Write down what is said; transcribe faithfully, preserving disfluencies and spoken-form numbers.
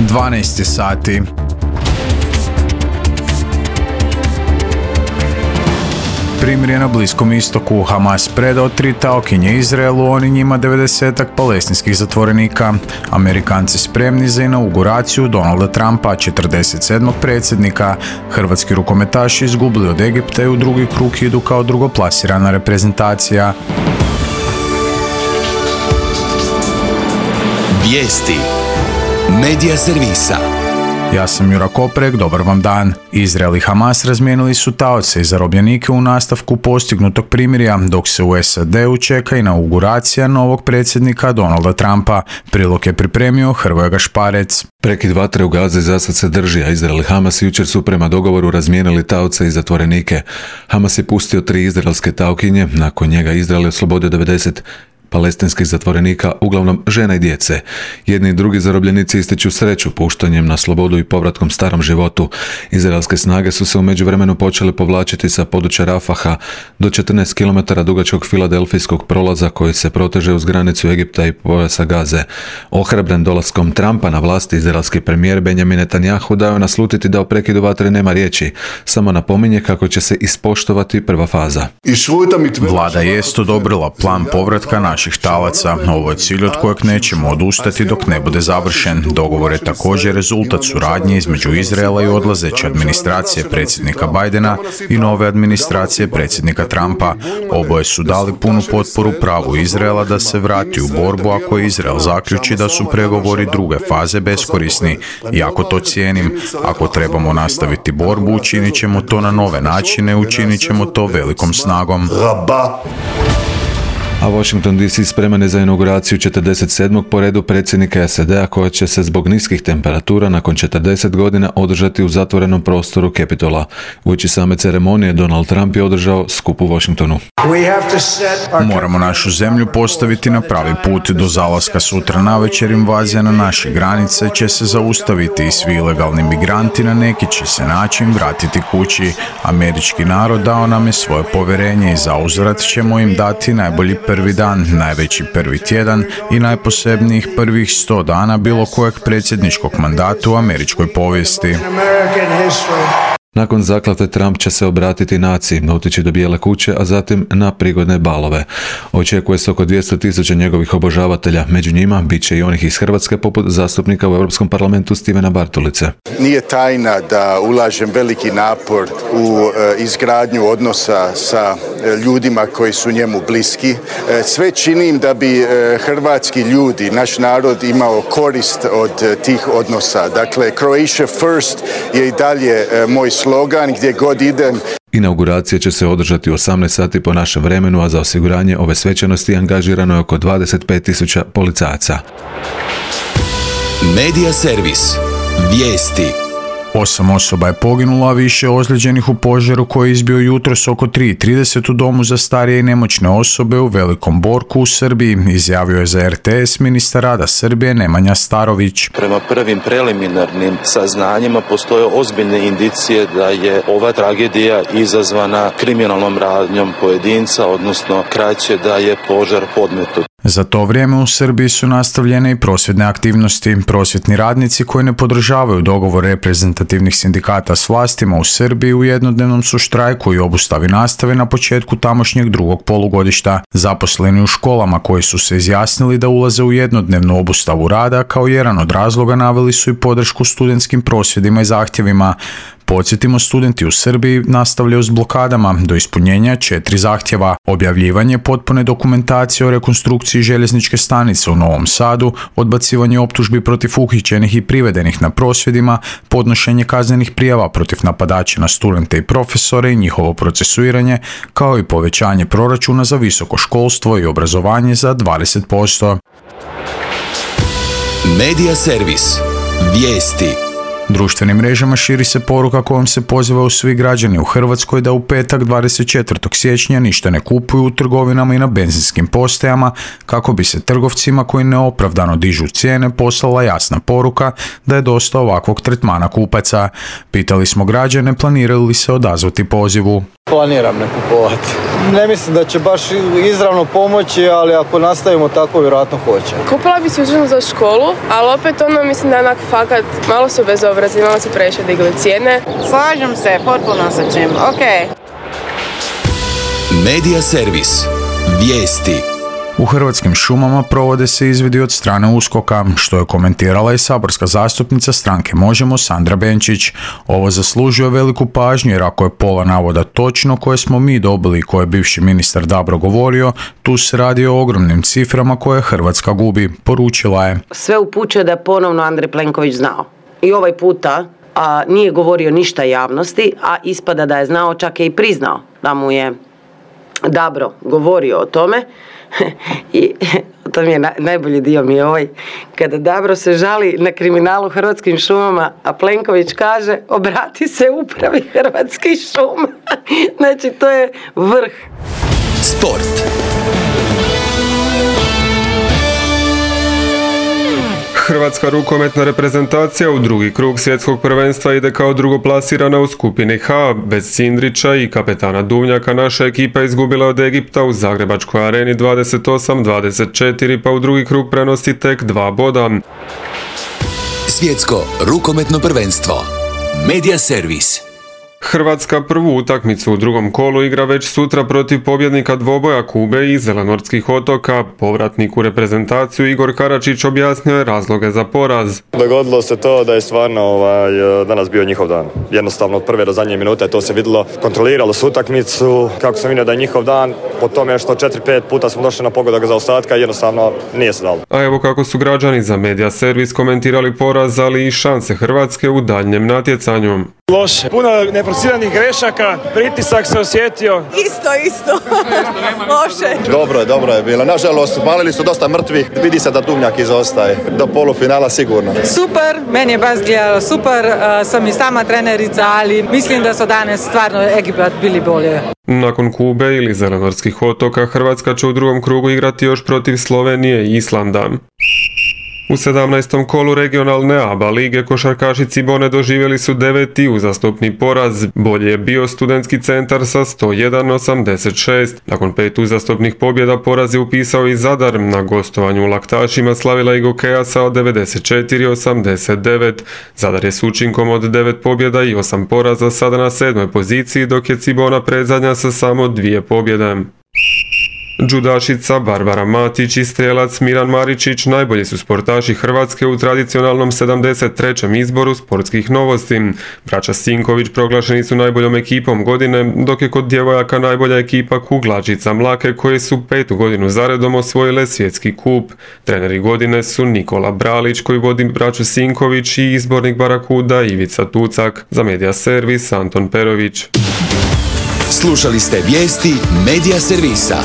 dvanaest je sati. Primirje na Bliskom istoku. Hamas predao tri taokinje Izraelu, oni njima devedesetak palestinskih zatvorenika. Amerikanci spremni za inauguraciju Donalda Trumpa, četrdeset sedmog predsjednika. Hrvatski rukometaši izgubili od Egipta i u drugi krug idu kao drugoplasirana reprezentacija. Vijesti Medija servisa. Ja sam Jura Koprek, dobar vam dan. Izrael i Hamas razmijenili su taoce i zarobljenike u nastavku postignutog primirja, dok se u S A D-u čeka inauguracija novog predsjednika Donalda Trumpa. Prilog je pripremio Hrvoje Gašparec. Prekid vatre u Gazi zasad se drži, a Izrael i Hamas jučer su prema dogovoru razmijenili taoce i zatvorenike. Hamas je pustio tri izraelske taokinje, nakon njega Izrael je oslobodio devedeset palestinskih zatvorenika, uglavnom žena i djece. Jedni i drugi zarobljenici ističu sreću puštanjem na slobodu i povratkom starom životu. Izraelske snage su se u međuvremenu počele povlačiti sa područja Rafaha do četrnaest kilometara dugačkog filadelfijskog prolaza koji se proteže uz granicu Egipta i pojasa Gaze. Ohrabren dolaskom Trumpa na vlasti, izraelski premijer Benjamin Netanjahu dao je naslutiti da o prekidu vatre nema riječi, samo napominje kako će se ispoštovati prva faza. Vlada jest odobrila plan povratka naših talaca. Ovo je cilj od kojeg nećemo odustati dok ne bude završen. Dogovor je također rezultat suradnje između Izraela i odlazeće administracije predsjednika Bidena i nove administracije predsjednika Trumpa. Oboje su dali punu potporu pravu Izraela da se vrati u borbu ako Izrael zaključi da su pregovori druge faze beskorisni. Jako to cijenim. Ako trebamo nastaviti borbu, učinit ćemo to na nove načine, učinit ćemo to velikom snagom. A Washington D C spreman je za inauguraciju četrdeset sedmog po redu predsjednika S A D-a koja će se zbog niskih temperatura nakon četrdeset godina održati u zatvorenom prostoru Capitola. Uoči same ceremonije Donald Trump je održao skup u Washingtonu. Moramo našu zemlju postaviti na pravi put. Do zalaska sutra navečer invazija na naše granice će se zaustaviti i svi ilegalni migranti na neki će se način vratiti kući. Američki narod dao nam je svoje povjerenje i zauzvrat ćemo im dati najbolji prvi dan, najveći prvi tjedan i najposebnijih prvih sto dana bilo kojeg predsjedničkog mandata u američkoj povijesti. Nakon zakletve Trump će se obratiti naciji, otići do Bijele kuće, a zatim na prigodne balove. Očekuje se oko dvjesto tisuća njegovih obožavatelja, među njima bit će i onih iz Hrvatske poput zastupnika u Europskom parlamentu Stivena Bartolice. Nije tajna da ulažem veliki napor u e, izgradnju odnosa sa e, ljudima koji su njemu bliski. E, sve činim da bi e, hrvatski ljudi, naš narod imao korist od e, tih odnosa. Dakle, Croatia First je i dalje e, moj slogan gdje god idem. Inauguracija će se održati u osamnaest sati po našem vremenu, a za osiguranje ove svečanosti angažirano je oko dvadeset pet tisuća policajaca. Medija servis. Vijesti. Osam osoba je poginulo, a više ozlijeđenih u požaru koji je izbio jutros oko tri i trideset u domu za starije i nemoćne osobe u Velikom Borku u Srbiji, izjavio je za R T S ministar rada Srbije Nemanja Starović. Prema prvim preliminarnim saznanjima postoje ozbiljne indicije da je ova tragedija izazvana kriminalnom radnjom pojedinca, odnosno kraće da je požar podmetnut. Za to vrijeme u Srbiji su nastavljene i prosvjedne aktivnosti. Prosvjetni radnici koji ne podržavaju dogovor reprezentativnih sindikata s vlastima u Srbiji u jednodnevnom su štrajku i obustavi nastave na početku tamošnjeg drugog polugodišta. Zaposleni u školama koji su se izjasnili da ulaze u jednodnevnu obustavu rada kao jedan od razloga naveli su i podršku studentskim prosvjedima i zahtjevima. Podsjetimo, studenti u Srbiji nastavljaju s blokadama do ispunjenja četiri zahtjeva: objavljivanje potpune dokumentacije o rekonstrukciji željezničke stanice u Novom Sadu, odbacivanje optužbi protiv uhićenih i privedenih na prosvjedima, podnošenje kaznenih prijava protiv napadača na studente i profesore i njihovo procesuiranje, kao i povećanje proračuna za visoko školstvo i obrazovanje za dvadeset posto. Medija servis. Vijesti. Društvenim mrežama širi se poruka kojom se pozivaju svi građani u Hrvatskoj da u petak dvadeset četvrtog siječnja ništa ne kupuju u trgovinama i na benzinskim postajama kako bi se trgovcima koji neopravdano dižu cijene poslala jasna poruka da je dosta ovakvog tretmana kupaca. Pitali smo građane planiraju li se odazvati pozivu. Planiram ne kupovati. Ne mislim da će baš izravno pomoći, ali ako nastavimo tako, vjerojatno hoće. Kupila bi si užinu za školu, ali opet ono mislim da je onak fakat, malo su bezobrazni, malo su previše digli cijene. Slažem se, potpuno sa čim, ok. Medija servis. Vijesti. U Hrvatskim šumama provode se izvidi od strane USKOK-a, što je komentirala i saborska zastupnica stranke Možemo Sandra Benčić. Ovo zaslužuje veliku pažnju jer ako je pola navoda točno koje smo mi dobili i koje je bivši ministar Dabro govorio, tu se radi o ogromnim ciframa koje Hrvatska gubi, poručila je. Sve upućuje da je ponovno Andrej Plenković znao. I ovaj puta a, nije govorio ništa javnosti, a ispada da je znao, čak je i priznao da mu je Dabro govorio o tome. I to mi je na, najbolji dio mi je ovaj, kada Dabro se žali na kriminalu Hrvatskim šumama, a Plenković kaže obrati se upravi Hrvatskih šuma. Znači to je vrh. Sport. Hrvatska rukometna reprezentacija u drugi krug svjetskog prvenstva ide kao drugoplasirana u skupini H. Bez Cindrića i kapetana Duvnjaka naša ekipa izgubila od Egipta u Zagrebačkoj areni dvadeset osam dvadeset četiri, pa u drugi krug prenosi tek dva boda. Svjetsko rukometno prvenstvo. Medija servis. Hrvatska prvu utakmicu u drugom kolu igra već sutra protiv pobjednika dvoboja Kube i Zelenortskih otoka. Povratnik u reprezentaciju Igor Karačić objasnio je razloge za poraz. Dogodilo se to da je stvarno ovaj, danas bio njihov dan. Jednostavno od prve do zadnje minute to se vidjelo. Kontroliralo su utakmicu. Kako sam vidio da je njihov dan, po tome što četiri pet puta smo došli na pogodak za ostatka, jednostavno nije se dalo. A evo kako su građani za Medija servis komentirali poraz, ali i šanse Hrvatske u daljnjem natjecanju. Loše. Puno neprociranih grešaka, pritisak se osjetio. Isto, isto. Loše. Dobro je, dobro je bilo. Nažalost, malili su dosta mrtvih. Vidi se da Duvnjak izostaje. Do polufinala sigurno. Super, meni je baš gledalo super. Uh, sam i sama trenerica, ali mislim da su danas stvarno Egipat bili bolje. Nakon Kube ili Zelenortskih otoka, Hrvatska će u drugom krugu igrati još protiv Slovenije i Islanda. U sedamnaestom kolu regionalne A B A lige košarkaši Cibone doživjeli su deveti uzastopni poraz. Bolje je bio Studentski centar sa sto jedan osamdeset šest. Nakon pet uzastopnih pobjeda poraz je upisao i Zadar. Na gostovanju u Laktašima slavila i Gokeja sa devedeset četiri osamdeset devet. Zadar je s učinkom od devet pobjeda i osam poraza sada na sedmoj poziciji, dok je Cibona predzadnja sa samo dvije pobjede. Džudašica Barbara Matić i strelac Miran Maričić najbolji su sportaši Hrvatske u tradicionalnom sedamdeset trećem izboru sportskih novosti. Braća Sinković proglašeni su najboljom ekipom godine, dok je kod djevojaka najbolja ekipa kuglačica Mlake koje su petu godinu zaredom osvojile svjetski kup. Treneri godine su Nikola Bralić koji vodi braću Sinković i izbornik Barakuda Ivica Tucak. Za Medija servis Anton Perović. Slušali ste vijesti Medija servisa.